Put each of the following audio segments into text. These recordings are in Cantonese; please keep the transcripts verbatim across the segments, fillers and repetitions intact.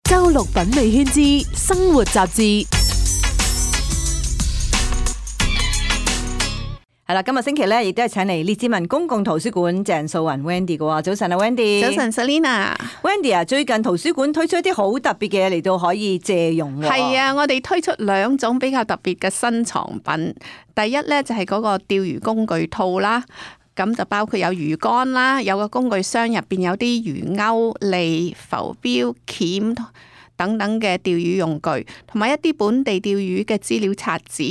周六品味圈之生活雜誌。係啦，今日星期咧，亦都係請嚟列治文公共圖書館鄭素雲 Wendy 嘅喎。早晨啊 ，Wendy。早晨 Selina。Wendy 啊，最近圖書館推出一啲好特別嘅嘢嚟到可以借用喎。係啊，我哋推出兩種比較特別嘅新藏品。第一咧就係嗰個釣魚工具套啦，咁就包括有魚竿啦，有個工具箱入邊有啲魚鈎、利、浮標、鉗等等嘅釣魚用具，同埋一啲本地釣魚嘅資料冊子。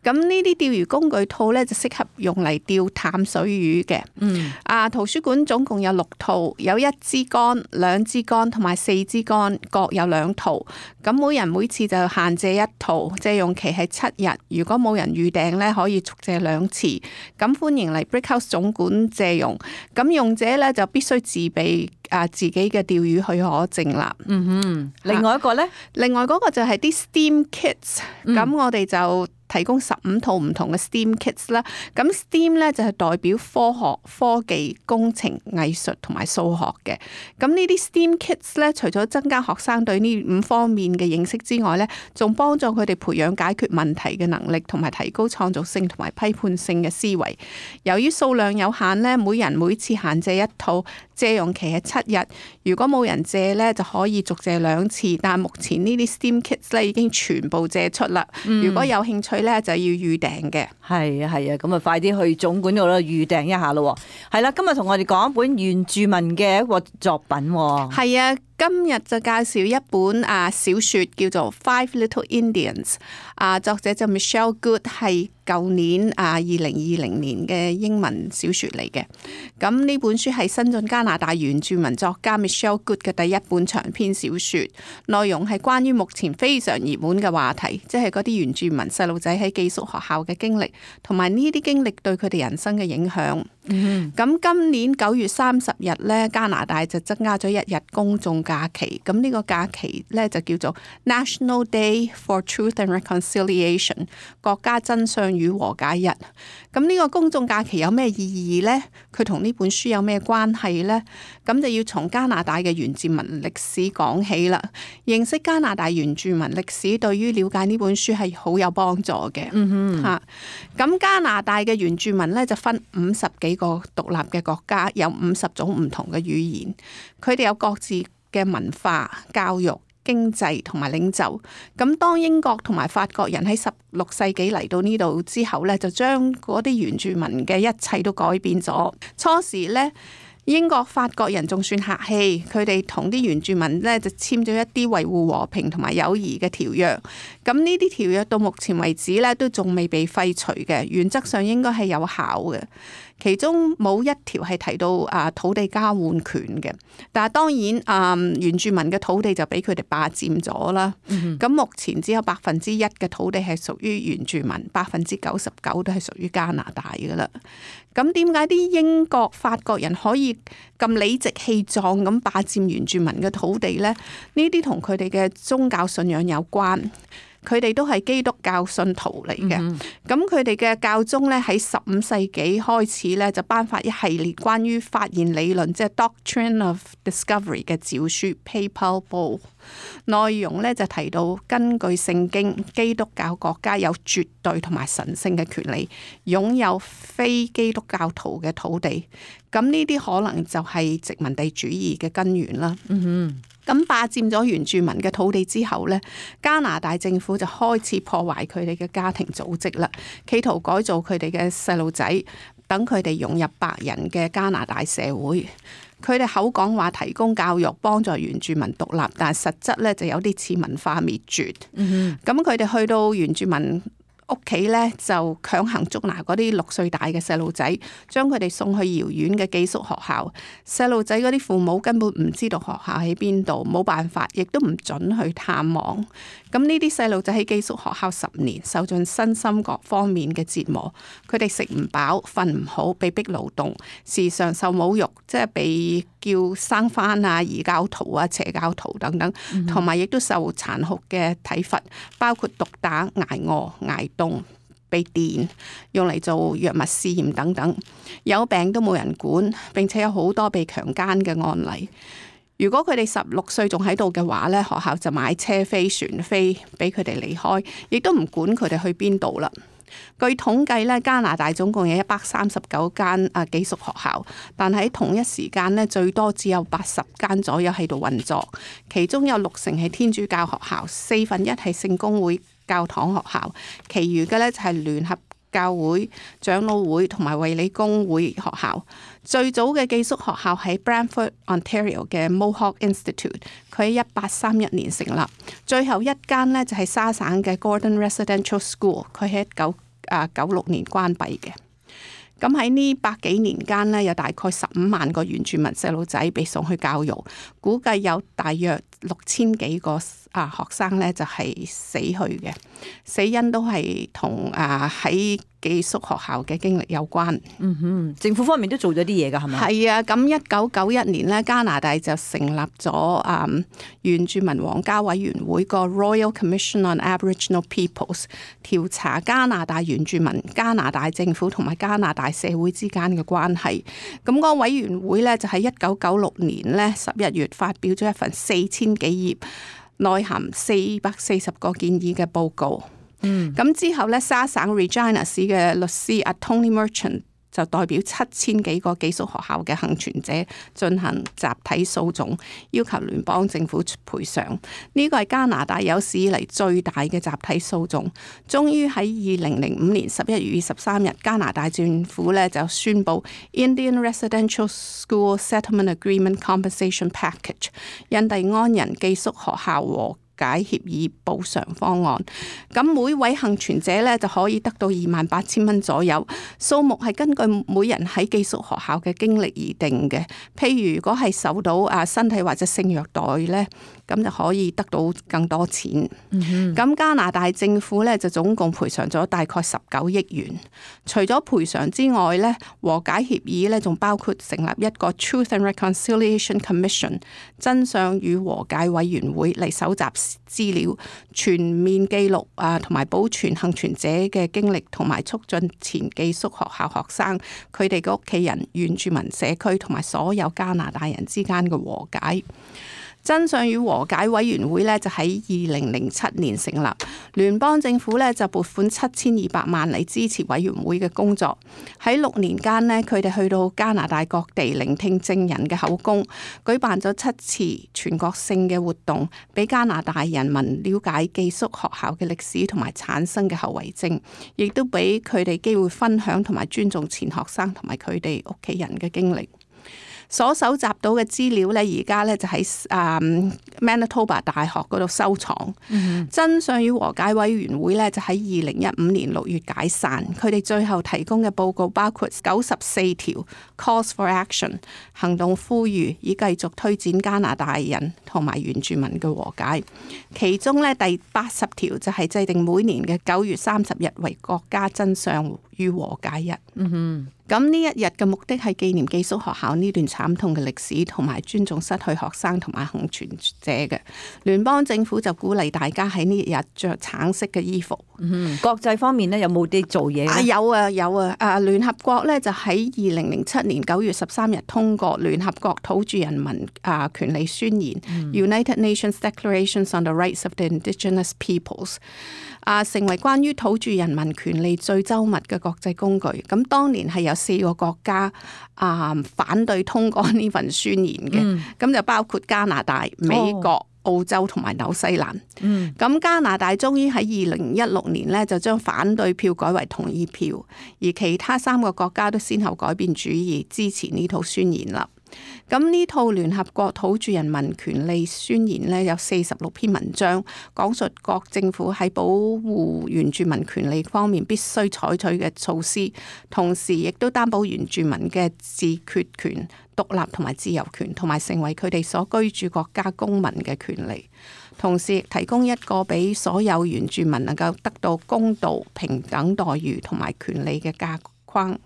咁呢啲釣魚工具套咧就適合用嚟釣淡水魚嘅。嗯，啊，圖書館總共有六套，有一支竿、兩支竿同埋四支竿，各有兩套。咁每人每次就限借一套，借用期係七日。如果冇人預訂咧，可以續借兩次。咁歡迎嚟 Brickhouse 總館借用。咁用者咧就必須自備啊自己嘅釣魚許可證啦。嗯哼，另外一個咧，另外嗰個就係啲 STEAM Kits。咁、嗯、我哋就提供十五套唔同嘅 STEAM Kits 啦。咁 STEAM 咧就係代表科學、科技、工程、藝術同埋數學嘅。咁呢啲 STEAM Kits 咧，除咗增加學生對呢五方面嘅認識之外咧，仲幫助佢哋培養解決問題嘅能力，同埋提高創造性同埋批判性嘅思維。由於數量有限咧，每人每次限借一套，借用期係七日。如果冇人借咧，就可以續借兩次。但係目前呢啲 STEAM Kits 咧已經全部借出啦。嗯、如果有興趣咧，就要預訂嘅。係啊係啊，咁啊快啲去總館度啦，預訂一下咯。係啦，今日同我哋講一本原住民嘅一個作品。係啊，今日就介紹一本啊小說叫做《Five Little Indians》。啊，作者就 Michelle Good， 係舊年啊二零二零年嘅英文小說嚟嘅。咁呢本書係新晉加拿大原住民作家 Michelle Good 嘅第一本長篇小說，內容係關於目前非常熱門嘅話題，即係嗰啲原住民細路仔喺寄宿學校嘅經歷，同埋呢啲經歷對佢哋人生嘅影響。咁、mm hmm. 今年九月三十日咧，加拿大就增加咗一日公眾假期。咁呢個假期咧就叫做 National Day for Truth and Reconciliation， 國家真相與和解日。咁呢個公眾假期有咩意義呢？佢同呢本書有咩關係呢？咁就要從加拿大嘅原住民歷史講起啦。認識加拿大原住民歷史，對於了解呢本書係好有幫助嘅。嗯哼，嚇。咁加拿大嘅原住民咧就分五十幾個獨立嘅國家，有五十種唔同嘅語言，佢哋有各自嘅文化、教育、經濟同埋領袖。咁當英國同埋法國人喺十六世紀嚟到呢度之後咧，就將嗰啲原住民嘅一切都改變咗。初時咧，英國、法國人仲算客氣，佢哋同啲原住民咧就簽咗一啲維護和平同埋友誼嘅條約。咁呢啲條約到目前為止咧都仲未被廢除嘅，原則上應該係有效嘅。其中冇一條係提到啊土地交換權嘅，但係當然啊、嗯、原住民嘅土地就俾佢哋霸佔咗啦。咁、嗯、哼目前只有百分之一嘅土地係屬於原住民，百分之九十九都係屬於加拿大㗎啦。咁點解啲英國、法國人可以咁理直氣壯咁霸佔原住民嘅土地呢？呢啲同佢哋嘅宗教信仰有關。佢哋都係基督教信徒嚟嘅，咁佢哋嘅教宗咧喺十五世紀開始咧就頒發一系列關於發現理論，即係 Doctrine of Discovery 嘅詔書 Papal Bull， 內容咧就提到根據聖經，基督教國家有絕對同埋神聖嘅權利，擁有非基督教徒嘅土地。咁呢啲可能就係殖民地主義嘅根源啦。嗯哼。咁霸佔咗原住民嘅土地之後呢，加拿大政府就開始破壞佢哋嘅家庭組織啦，企圖改造佢哋嘅細路仔，等佢哋融入白人嘅加拿大社會。佢哋口講話提供教育，幫助原住民獨立，但係實質咧就有啲似文化滅絕。咁佢哋去到原住民屋企咧，就強行捉拿嗰啲六歲大嘅細路仔，將佢哋送去遙遠嘅寄宿學校。細路仔嗰啲父母根本唔知道學校喺邊度，冇辦法，亦都唔准去探望。咁呢啲細路仔喺寄宿學校十年，受盡身心各方面嘅折磨。佢哋食唔飽，瞓唔好，被逼勞動，時常受侮辱，即係被叫生番啊、異教徒啊、邪教徒等等，同埋亦都受殘酷嘅體罰，包括毒打、挨餓、挨凍、被電，用嚟做藥物試驗等等。有病都冇人管，並且有好多被強姦嘅案例。如果佢哋十六歲仲喺度嘅話咧，學校就買車飛船飛俾佢哋離開，亦都唔管佢哋去邊度啦。據統計咧，加拿大總共有一百三十九間啊寄宿學校，但喺同一時間咧，最多只有八十間左右喺度運作，其中有六成係天主教學校，四分一係聖公會教堂學校，其餘嘅咧就係聯合教會、長老會同埋衛理公會學校。最早嘅寄宿學校喺 Brantford Ontario 嘅 Mohawk Institute， 佢喺一八三一年成立。最後一間呢就係沙省嘅 Gordon Residential School， 佢喺一九九六年關閉嘅。咁喺呢百幾年間呢，有大概十五萬個原住民細路仔被送去教育，估計有大約六千幾個啊學生呢就係死去嘅，死因都係同啊喺寄宿學校嘅經歷有關。嗯哼，政府方面都做咗啲嘢㗎，係咪？係啊，咁一九九一年呢，加拿大就成立咗啊、嗯、原住民皇家委員會個 Royal Commission on Aboriginal Peoples， 調查加拿大原住民、加拿大政府同埋加拿大社會之間嘅關係。咁、那個委員會呢，就喺一九九六年呢十一月發表咗一份四千幾頁、內含四百四十個建議嘅報告。嗯，咁之後咧，沙省 Regina 市嘅律師阿 Tony Merchant 就代表七千幾個寄宿學校嘅幸存者進行集體訴訟，要求聯邦政府賠償。呢個係加拿大有史以嚟最大嘅集體訴訟。終於喺二零零五年十一月二十三日，加拿大政府咧就宣布 Indian Residential School Settlement Agreement Compensation Package 印第安人寄宿學校和解協議補償方案。咁每位幸存者咧就可以得到二萬八千蚊左右，數目係根據每人喺寄宿學校嘅經歷而定嘅。譬如如果係受到啊身體或者性虐待咧，咁就可以得到更多錢。咁、嗯、加拿大政府咧就總共賠償咗大概十九億元。除咗賠償之外咧，和解協議咧仲包括成立一個 Truth and Reconciliation Commission 真相與和解委員會嚟搜集資料，全面記錄啊，同埋保存幸存者嘅經歷，同埋促進前寄宿學校學生佢哋嘅屋企人、原住民社區同埋所有加拿大人之間嘅和解。真相與和解委員會咧就喺二零零七年成立，聯邦政府咧就撥款七千二百萬嚟支持委員會嘅工作。喺六年間呢，佢哋去到加拿大各地聆聽證人嘅口供，舉辦咗七次全國性嘅活動，俾加拿大人民了解寄宿學校嘅歷史同埋產生嘅後遺症，亦都俾佢哋機會分享同埋尊重前學生同埋佢哋屋企人嘅經歷。所搜集到嘅資料咧，而家咧就喺啊 Manitoba 大學嗰度收藏。Mm-hmm. 真相與和解委員會咧就喺二零一五年六月解散。佢哋最後提供嘅報告包括九十四條 Calls for Action 行動呼籲，以繼續推展加拿大人同埋原住民嘅和解。其中咧第八十條就係制定每年嘅九月三十日為國家真相與和解日。嗯哼。咁呢一日嘅目的係紀念寄宿學校呢段慘痛嘅歷史，同埋尊重失去學生同埋幸存者嘅。聯邦政府就鼓勵大家喺呢一日着橙色嘅衣服。嗯，國際方面呢，有冇啲做嘢？啊有啊有啊！啊聯合國呢，就喺二零零七年九月十三日通過聯合國土著人民啊權利宣言、嗯、United Nations Declarations on the Rights of the Indigenous Peoples。啊，成為關於土著人民權利最周密嘅國際工具。咁當年係有四個國家啊反對通過呢份宣言嘅，咁、嗯、就包括加拿大、美國、哦、澳洲同埋紐西蘭。咁、嗯、加拿大終於喺二零一六年呢，就將反對票改為同意票，而其他三個國家都先後改變主意，支持呢套宣言啦。咁呢套聯合國土著人民權利宣言呢，有四十六篇文章，講述各政府喺保護原住民權利方面必須採取嘅措施，同時亦都擔保原住民嘅自決權、獨立同埋自由權，同埋成為佢哋所居住國家公民嘅權利，同時亦提供一個俾所有原住民能夠得到公道、平等待遇同埋權利嘅架框。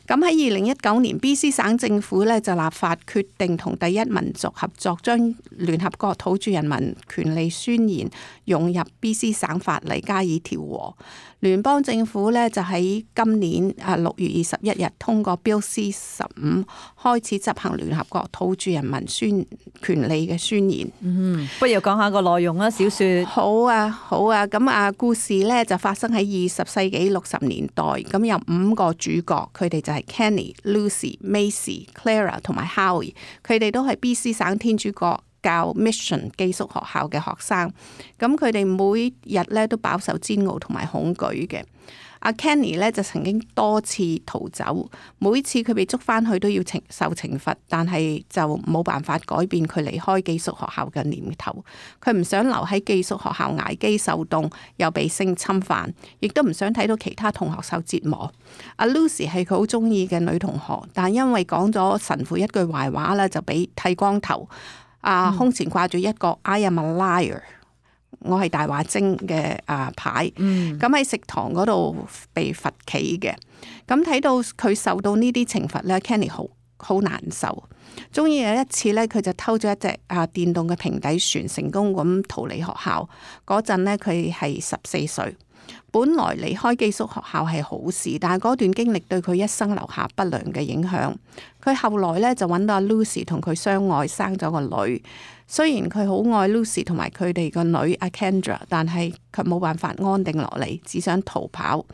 咁喺二零一九年 B C 省政府咧就立法決定同第一民族合作，將聯合國土著人民權利宣言融入 B C 省法例加以調和。聯邦政府咧就喺今年啊六月二十一日通過 Bill C 十五，開始執行聯合國土著人民宣權利嘅宣言。嗯，不如講下個內容啦，小說。好啊，好啊，咁啊，故事咧就發生喺二十世紀六十年代，咁有五個主角，佢哋就係 Kenny、Lucy、Macy、Clara 同埋 Howie， 佢哋都係 B C 省天主教教 Mission 寄宿學校嘅學生，咁佢哋每日咧都飽受煎熬同埋恐懼嘅。阿 Kenny 咧就曾經多次逃走，每次佢被捉翻去都要懲受懲罰，但係就冇辦法改變佢離開寄宿學校嘅念頭。佢唔想留喺寄宿學校挨飢受凍，又被性侵犯，亦都唔想睇到其他同學受折磨。阿 Lucy 係佢好中意嘅女同學，但因為講咗神父一句壞話咧，就俾剃光頭。啊，胸前掛住一個 I am a liar， 我係大話精嘅啊牌，咁喺、嗯、食堂嗰度被罰企嘅。咁睇到佢受到呢啲懲罰咧 Kenny 好好難受。終於有一次咧，佢就偷咗一隻啊電動嘅平底船，成功咁逃離學校。嗰陣咧，佢係十四歲。本來離開寄宿學校係好事，但係嗰段經歷對佢一生留下不良嘅影響。佢後來咧就揾到阿 Lucy 同佢相愛，生咗個女。雖然佢好愛 Lucy 同埋佢哋個女阿 Kendra， 但係佢冇辦法安定落嚟，只想逃跑。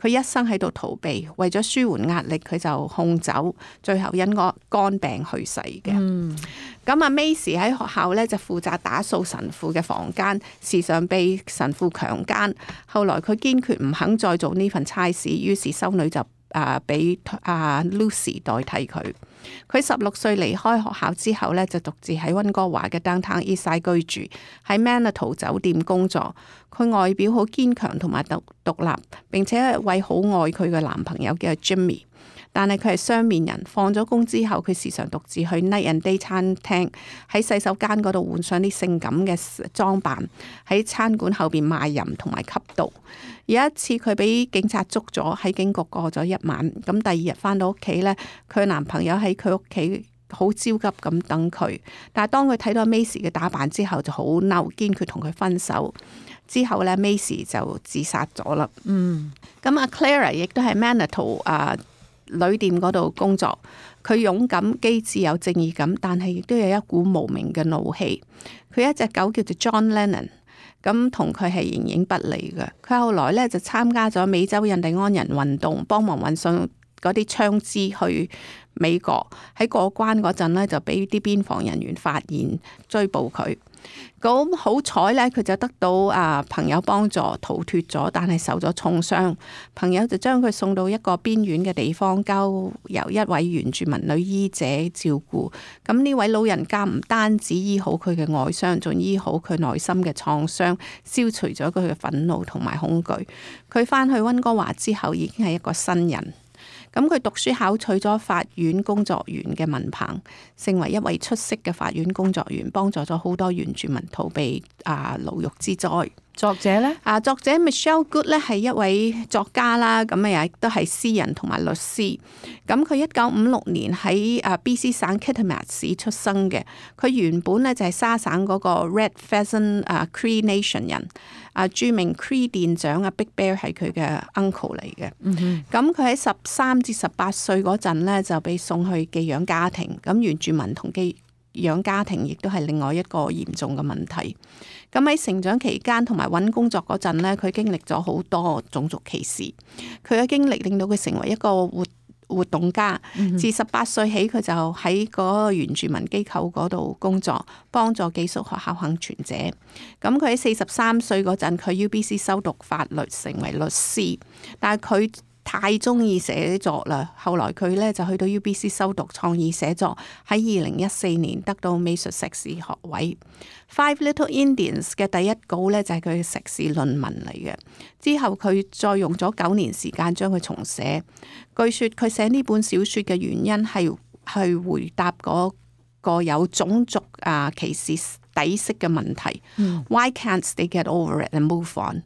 佢一生喺度逃避，為咗舒緩壓力，佢就控酒，最後因個肝病去世嘅。嗯，咁阿 Macy 喺學校咧就負責打掃神父嘅房間，時常被神父強姦。後來佢堅決唔肯再做呢份差事，於是修女就啊俾阿 Lucy 代替佢。佢十六歲離開學校之後咧，就獨自喺溫哥華嘅 Downtown Eastside 居住，喺 Manitou 酒店工作。佢外表好堅強同埋獨獨立，並且係一位好愛佢嘅男朋友叫 Jimmy。但係佢係雙面人，放咗工之後，佢時常獨自去 Night and Day 餐廳，喺洗手間嗰度換上啲性感嘅裝扮，喺餐館後邊賣淫同埋吸毒。有一次佢俾警察捉咗，喺警局過咗一晚。咁第二日返到屋企呢，佢男朋友喺佢屋企好焦急咁等佢。但係當佢睇到 Macy 嘅打扮之後，就好嬲，堅決同佢分手。之後呢 Macy 就自殺咗啦。嗯，咁阿 Clara 亦都係 Manitou 啊旅店嗰度工作。佢勇敢機智有正義感，但係亦都有一股無名嘅怒氣。佢一隻狗叫做 John Lennon。咁同佢係形影不離嘅。佢後來咧就參加咗美洲印第安人運動，幫忙運送嗰啲槍支去美國。喺過關嗰陣咧，就俾啲邊防人員發現，追捕佢。咁好彩咧，佢就得到啊朋友幫助逃脫咗，但係受咗重傷。朋友就將佢送到一個邊遠嘅地方，交由一位原住民女醫者照顧。咁呢位老人家唔單止醫好佢嘅外傷，仲醫好佢內心嘅創傷，消除咗佢嘅憤怒同埋恐懼。佢返去溫哥華之後，已經係一個新人。咁佢讀書考取咗法院工作員嘅文憑，成為一位出色嘅法院工作員，幫助咗好多原住民逃避啊牢獄之災。作者呢？啊，作者 Michelle Good 咧係一位作家啦，咁啊亦都係詩人同埋律師。咁佢一九五六年喺啊 B C 省 Kitimat 市出生嘅。佢原本咧就係沙省嗰個 Red Pheasant 啊 Cree Nation 人。啊，著名 Cree 店長啊 Big Bear 係佢嘅 uncle 嚟嘅。咁佢喺十三至十八歲嗰陣咧就被送去寄養家庭。咁原住民同寄養家庭亦都係另外一個嚴重嘅問題。咁喺成長期間同埋揾工作嗰陣咧，佢經歷咗好多種族歧視。佢嘅經歷令到佢成為一個活活動家。自十八歲起，佢就喺嗰個原住民機構嗰度工作，幫助寄宿學校幸存者。咁佢喺四十三歲嗰陣，佢 U B C 修讀法律，成為律師。但係佢太中意寫作啦，後來佢咧就去到 U B C 修讀創意寫作，喺二零一四年得到美術碩士學位。Five Little Indians 嘅第一稿咧就係佢嘅碩士論文嚟嘅，之後佢再用咗九年時間將佢重寫。據說佢寫呢本小說嘅原因係去回答嗰個有種族啊歧視底色嘅問題。嗯、Why can't they get over it and move on？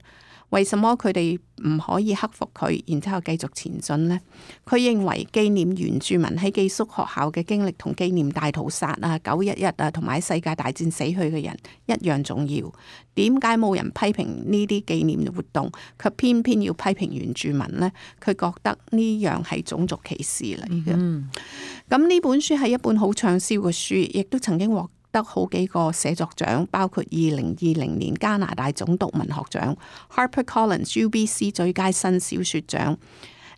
為什麼佢哋唔可以克服佢，然之後繼續前進呢？佢認為紀念原住民喺寄宿學校嘅經歷，同紀念大屠殺啊、九一一啊，同埋世界大戰死去嘅人一樣重要。點解冇人批評呢啲紀念活動，卻偏偏要批評原住民呢？佢覺得呢樣係種族歧視嚟嘅。咁呢、嗯、本書係一本好暢銷嘅書，亦都曾經獲得好幾個寫作獎，包括二零二零年加拿大總督文學獎、HarperCollins U B C 最佳新小說獎、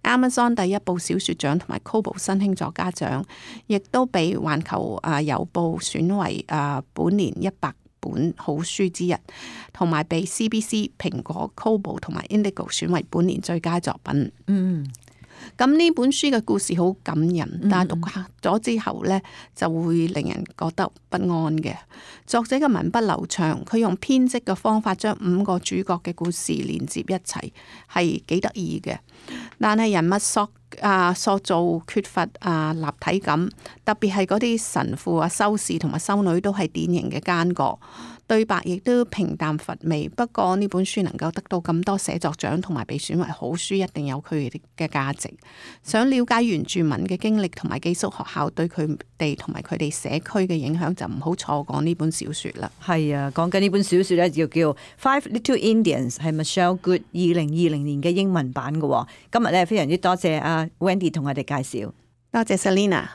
Amazon 第一部小說獎同埋 Kobo 新興作家獎，亦都被環球啊郵報選為啊本年一百本好書之一，同埋被 C B C、蘋果、Kobo 同埋 Indigo 選為本年最佳作品。嗯。咁呢本書嘅故事好感人，但係讀咗之後呢，就會令人覺得不安嘅。作者嘅文筆流暢，佢用編織嘅方法將五個主角嘅故事連接一齊，係幾得意嘅。但係人物塑啊塑造缺乏啊立體感，特別係嗰啲神父啊、修士同埋修女都係典型嘅奸角。對白亦都平淡乏味，不過呢本書能夠得到咁多寫作獎同埋被選為好書，一定有佢嘅價值。想了解原住民嘅經歷同埋寄宿學校對佢哋同埋佢哋社區嘅影響，就唔好錯過呢本小說啦。係啊，講緊呢本小說咧，就叫《Five Little Indians》，係 Michelle Good 二零二零年嘅英文版嘅。今日咧非常之多謝阿 Wendy 同我哋介紹，多謝 Selina。